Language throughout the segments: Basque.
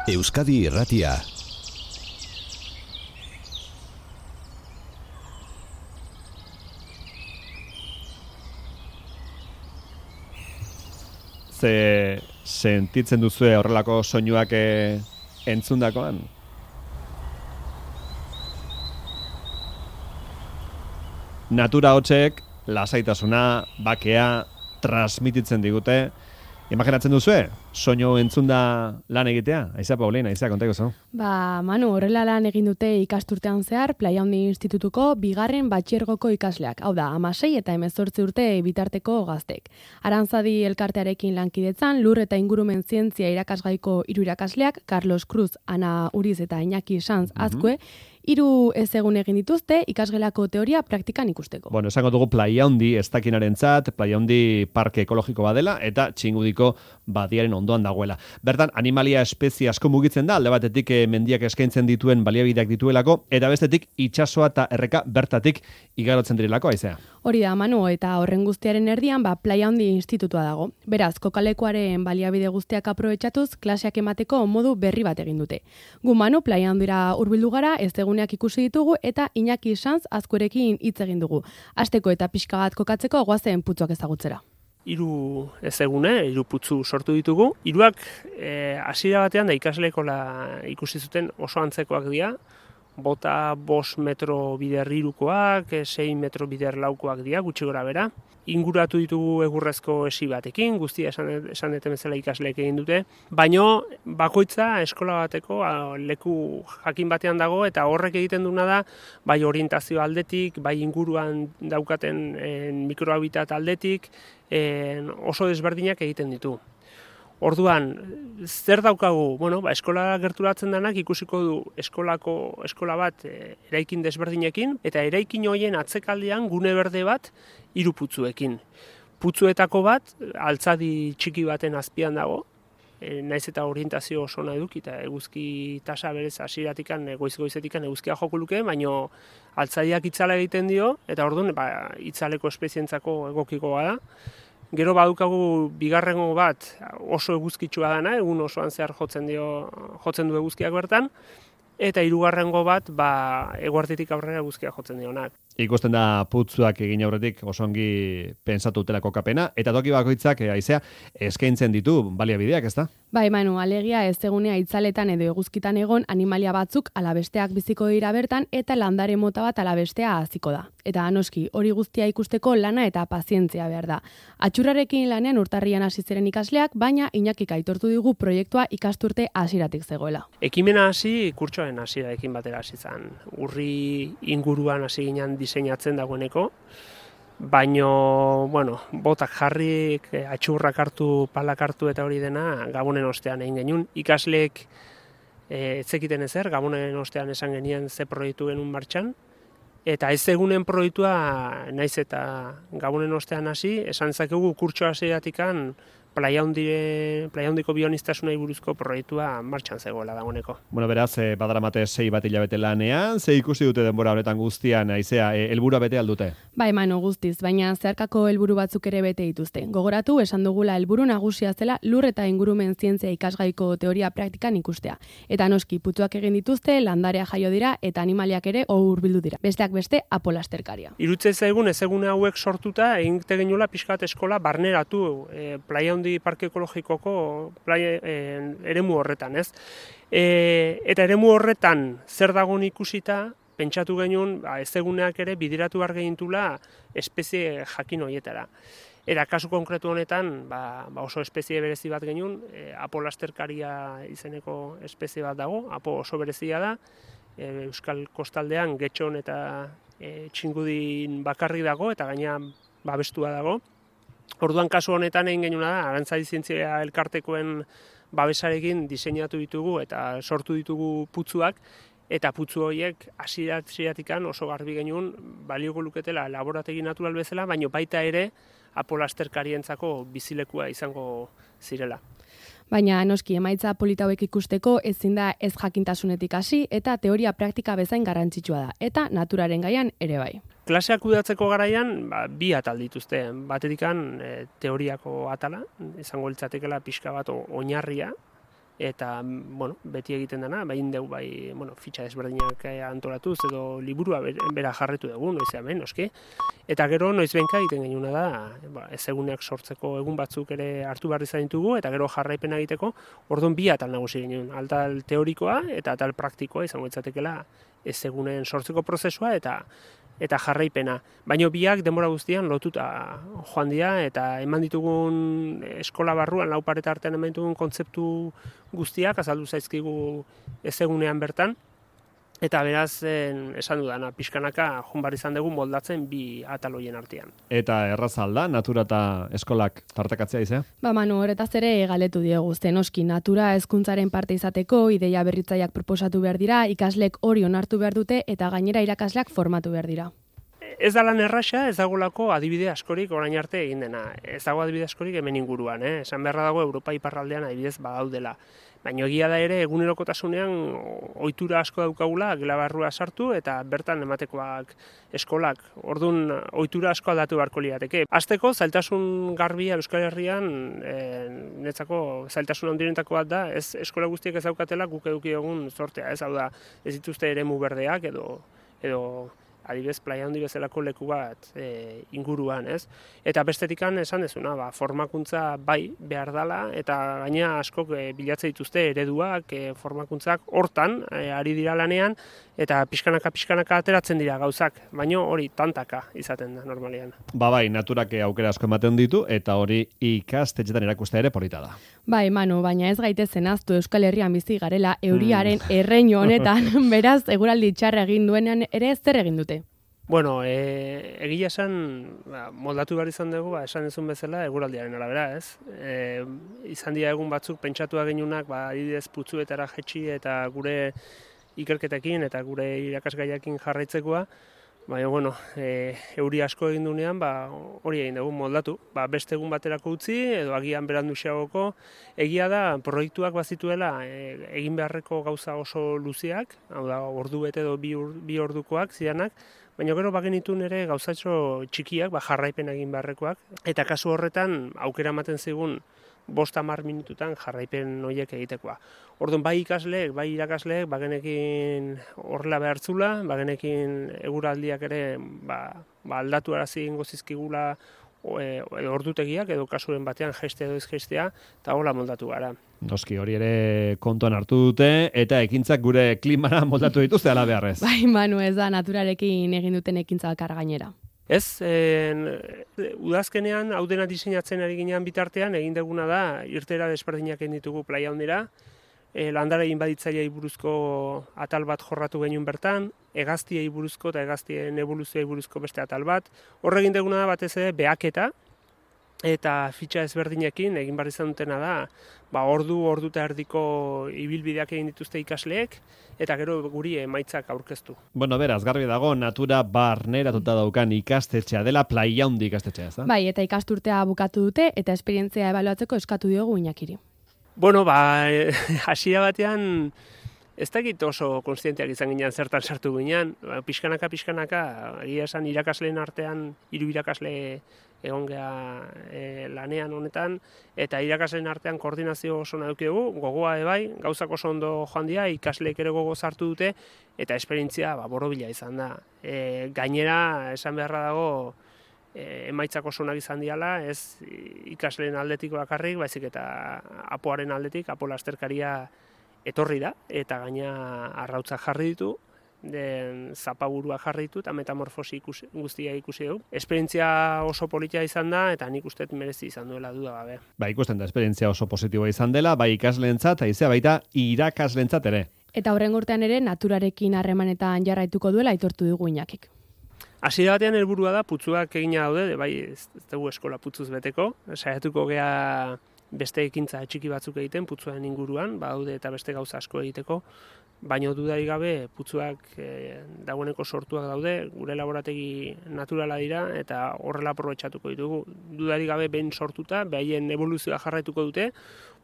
Euskadi Irratia. Ze sentitzen duzue horrelako soinuak entzundakoan? Natura hotzek lasaitasuna, bakea transmititzen digute. Imaginatzen duzue, soinu entzunda lan egitea? Aiza, Paulina, aiza, kontako zo. Manu, horrela lan egin dute ikasturtean zehar Playa Handi Institutuko bigarren batxiergoko ikasleak. Hau da, 16 eta 18 urte bitarteko gaztek. Arantzadi elkartearekin lankidetzan, lur eta ingurumen zientzia irakasgaiko 3 irakasleak, Carlos Cruz, Ana Uriz eta Iñaki Sanz Azkue, 3 egun egin dituzte ikasgelako teoria praktikan ikusteko. Bueno, esango dugu Playa Handi ez dakinarentzat, Playa Handi parke ekologiko badela eta Txingudiko badiaren ondoan dagoela. Bertan, animalia espezie asko mugitzen da, alde batetik mendiak eskaintzen dituen baliabideak dituelako, eta bestetik itsasoa eta erreka bertatik igarotzen direlako, aizea. Hori da, Manu, eta horren guztiaren erdian, Playa Handi Institutua dago. Beraz, kokalekoaren baliabide guztiak aprobetxatuz, klaseak emateko modu berri bat egin dute. Gu, Manu, Playa Handira hurbildu gara, ez eguneak ikusi ditugu, eta Iñaki Sanz Azkurekin hitz egin dugu. Hasteko eta pixka bat kokatzeko goazen putzuak ezagutzera. 3 ezegune, 3 putzu sortu ditugu. 3ak hasiera batean da ikaslekola ikusi zuten oso antzekoak dira. Bota 5 metro bider 3koak, 6 metro bider 4koak dira, gutxi gora bera. Inguratu ditugu egurrezko esi batekin, guztia esan deten bezala ikasleek egin dute. Baino bakoitza eskola bateko leku jakin batean dago eta horrek egiten duna da bai orientazio aldetik, bai inguruan daukaten mikrohabitat aldetik, oso desberdinak egiten ditu. Orduan, zer daukagu? Bueno, eskola gerturatzen denak ikusiko du eskola bat eraikin desberdinekin, eta eraikin horien atzekaldean gune berde bat 3 putzuekin. Putzuetako bat, altzadi txiki baten azpian dago, naiz eta orientazio oso nahi duk, eta eguzki tasa berez hasieratikan goiz-goizetikan eguzkia joko luke, baino altzadiak itzala egiten dio, eta orduan itzaleko espezientzako egokikoa da. Gero badukagu bigarrengo bat oso eguzkitsua dana, egun osoan zehar jotzen du eguzkiak bertan, eta 3. bat eguerditik aurrera eguzkia jotzen dionak. Ikusten da putzuak egin aurretik oso ongi pentsatu dutelako kapena, eta toki bakoitzak aizea eskaintzen ditu baliabideak, ezta? Bai, Manu, alegia ez egunea itzaletan edo eguzkitan egon animalia batzuk alabesteak biziko dira bertan eta landare mota bat alabestea haziko da. Eta noski, hori guztia ikusteko lana eta pazientzia behar da. Atxurrarekin lanean urtarrian hasi ziren ikasleak, baina Iñakik aitortu digu proiektua ikasturte hasieratik zegoela. Ekimena hasi kurtsoaren hasierarekin batera hasi zen. Urri inguruan hasi ginen diseinatzen dagoeneko, baino, botak jarri, atxurrak hartu, palak hartu eta hori dena Gabonen ostean egin genuen. Ikasleek etzekiten ezer, Gabonen ostean esan genien ze proiektu genuen martxan, eta ez egunen proiektua naiz eta Gabonen ostean hasi, esan zakegu kurtso hasieratikan Playa Handiko bionistasuna buruzko proiektua martxan zegoela dagoeneko. Bueno, beraz, badaramate 6 bat hilabete lanean, ze ikusi dute denbora honetan guztian, aizea, helburua bete aldute? Bai, Manu, guztiz, baina zeharkako helburu batzuk ere bete dituzte. Gogoratu, esan dugula helburu nagusia zela lur eta ingurumen zientzia ikasgaiko teoria praktikan ikustea. Eta noski, putzuak egin dituzte, landarea jaio dira eta animaliak ere hurbildu dira. Besteak beste, apolasterkaria. Irutze zaigun, ez egune hauek sortuta, egin genuela pixkat eskola barneratu Playa Handi parke ekologikoko eremu horretan, ez? Eta eremu horretan zer dagoen ikusita, pentsatu genuen, ez eguneak ere bideratu behar gehintula espezie jakin horietara. Eta kasu konkretu honetan, oso espezie berezi bat genuen, apolasterkaria izeneko espezie bat dago, apo oso berezia da, Euskal Kostaldean Getxon eta Txingudin bakarri dago, eta gaina babestua dago. Orduan kasu honetan egin genuena da, Arantzadi zientzia elkartekoen babesarekin diseinatu ditugu eta sortu ditugu putzuak, eta putzu horiek hasieratik oso garbi genuen balioko luketela laborategi natural bezala, baino baita ere apolasterkarientzako bizilekua izango zirela. Baina noski emaitza polita hauek ikusteko ezin da ez jakintasunetik hasi eta teoria praktika bezain garrantzitsua da, eta naturaren gaian ere bai. Klaseak kudeatzeko garaian 2 atal dituzte. Batetikan teoriako atala, izango litzatekeela pixka bat oinarria, eta beti egiten dena, bain dugu fitxa desberdinak antolatuz edo liburua bera jarretu dugu, noiz hemen, noski. Eta gero noizbenka egiten genuna da, ez eguneak sortzeko egun batzuk ere hartu behar izan ditugu, eta gero jarraipena egiteko, orduan bi atal nagusi genuen, atal teorikoa eta atal praktikoa izango itzatekela ez egunen sortzeko prozesua eta jarraipena. Baina biak denbora guztian lotuta joan dira eta eman ditugun eskola barruan, lau pareta artean eman ditugun kontzeptu guztiak azaldu zaizkigu ez egunean bertan. Eta beraz, esan dudana, pixkanaka joan izan dugu moldatzen bi ataloien artean. Eta errazalda, natura eta eskolak tartakatzea izea? Manu, horretaz ere galetu diegu, noski natura hezkuntzaren parte izateko, ideia berritzaileak proposatu behar dira, ikaslek hori onartu behar dute eta gainera irakasleak formatu behar dira. Ez da lan erraxa, ez dagolako adibide askorik orain arte egin dena. Ez dago adibide askorik hemen inguruan, Esan beharra dago Europa iparraldean adibidez badaudela. Baina egia da ere egunerokotasunean ohitura asko daukagula gela barrua sartu eta bertan ematekoak eskolak. Orduan ohitura asko aldatu beharko lirateke. Hasteko zailtasun garbia Euskal Herrian netzako zailtasun handienetako bat da, ez eskola guztiek ez daukatela guk eduki egun sortea, ez hau da, ez dituzte eremu berdeak edo adibidez Playa Handi bezalako leku bat inguruan, ez? Eta bestetikan esan dezuna, formakuntza bai behar dala, eta gaina askok bilatze dituzte ereduak, formakuntzak hortan ari dira lanean, eta pixkanaka ateratzen dira gauzak, baina hori tantaka izaten da normalean. Bai, naturak aukera asko ematen ditu, eta hori ikastetxetan erakustea ere polita da. Bai, Manu, baina ez gaitezen aztu Euskal Herrian bizi garela euriaren erreinu honetan, beraz, eguraldi txarra egin duenean ere zer egin dute? Bueno, egia esan, moldatu behar izan dugu, esan ezun bezala, eguraldiaren arabera, ez? Izan dira egun batzuk pentsatua genunak, adibidez putzuetara jetxi eta gure ikerketekin eta gure irakasgaiakin jarraitzekoa, baina, euri asko egin duenean, hori egin dugu moldatu. Beste egun baterako utzi, edo agian berandu xeagoko, egia da, proiektuak bazituela egin beharreko gauza oso luziak, hau da, ordu bete edo bi ordukoak zidanak, baina gero bagenitun ere gauzatxo txikiak, jarraipen egin beharrekoak, eta kasu horretan aukera ematen zigun 5-10 minututan jarraipen horiek egitekoa. Orduan bai ikasleek, bai irakasleek, bagenekin horrela behartzula, bagenekin eguraldiak ere aldatu arazi ingo zizkigula edo ordutegiak, edo kasuren batean jeste edo ezgestea, eta hola moldatu gara. Noski, hori ere kontuan hartu dute, eta ekintzak gure klimara moldatu dituzte ala beharrez. Bai, Manu, ez da naturarekin egin duten ekintza bakar gainera. Ez, udazkenean hau dena diseinatzen ari ginean bitartean, egin duguna da, irtera desberdinak egin ditugu Playa Handira, landare inbaditzaileei buruzko atal bat jorratu genuen bertan, hegaztiei buruzko eta hegaztien evoluzioei buruzko beste atal bat. Horre egin duguna da batez ere behaketa, eta fitxa ezberdinekin egin behar izan dutena da, ordu eta erdiko ibilbideak egin dituzte ikasleek, eta gero guri emaitzak aurkeztu. Bueno, beraz, garbi dago, natura barneratuta daukan ikastetxea dela Playa Handi ikastetxea, ez da? Bai, eta ikasturtea bukatu dute, eta esperientzia ebaluatzeko eskatu diogu Iñakiri. Bueno, hasiera batean, ez dakit oso konstienteak izan ginean zertan sartu ginean, pixkanaka, egia esan irakasleen artean, 3 irakasle egon geha lanean honetan, eta irakasleen artean koordinazio oso nahi dugu, gogoa bai, gauzak oso ondo joan dira, ikasleek ere gogo sartu dute, eta esperientzia borobila izan da. Gainera, esan beharra dago, emaitzak oso onak izan diala, ez ikasleen aldetik bakarrik, baizik eta apoaren aldetik, apo lasterkaria etorri da, eta gaina arrautzak jarri ditu, zapaburua jarri ditu, eta metamorfosi guztia ikusi dugu. Esperientzia oso politia izan da, eta nik uste merezi izan duela duda gabe. Ikusten da, esperientzia oso positiboa izan dela, bai ikasleentzat, eta baita irakaslentzat ere. Eta horren urtean ere, naturarekin harremanetan jarraituko duela aitortu dugu Iñakik. Hasiera batean helburua da putzuak egina daude, bai ez dugu eskola putzuz beteko, saiatuko gea beste ekintza txiki batzuk egiten putzuen inguruan, badaude eta beste gauza asko egiteko, baina dudarik gabe putzuak dagoeneko sortuak daude, gure laborategi naturala dira eta horrela aprobetxatuko ditugu. Dudarik gabe behin sortuta, behaien evoluzioa jarraituko dute,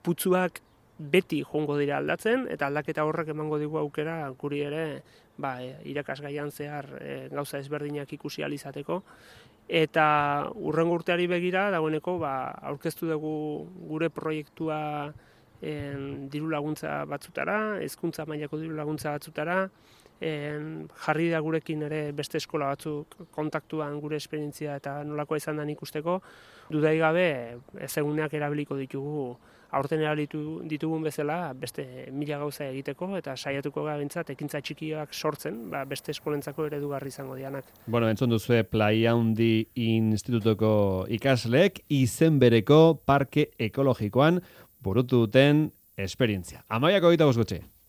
putzuak beti joango dira aldatzen, eta aldaketa horrek emango digu aukera guri ere irakasgaian zehar gauza ezberdinak ikusi ahal izateko. Eta hurrengo urteari begira, dagoeneko aurkeztu dugu gure proiektua diru laguntza batzutara, hezkuntza mailako diru laguntza batzutara, jarri da gurekin ere beste eskola batzuk kontaktuan gure esperientzia eta nolakoa izan den ikusteko, dudai gabe ezeguneak erabiliko ditugu aurten erabilitu ditugun bezala beste 1000 gauza egiteko eta saiatuko gara bintzat ekintza txikiak sortzen, beste eskolentzako eredugarri izango dianak. Bueno, entzun duzue Playa Handi Institutuko ikasleek izen bereko parke ekologikoan burutu duten esperientzia. 12:25 gutxi.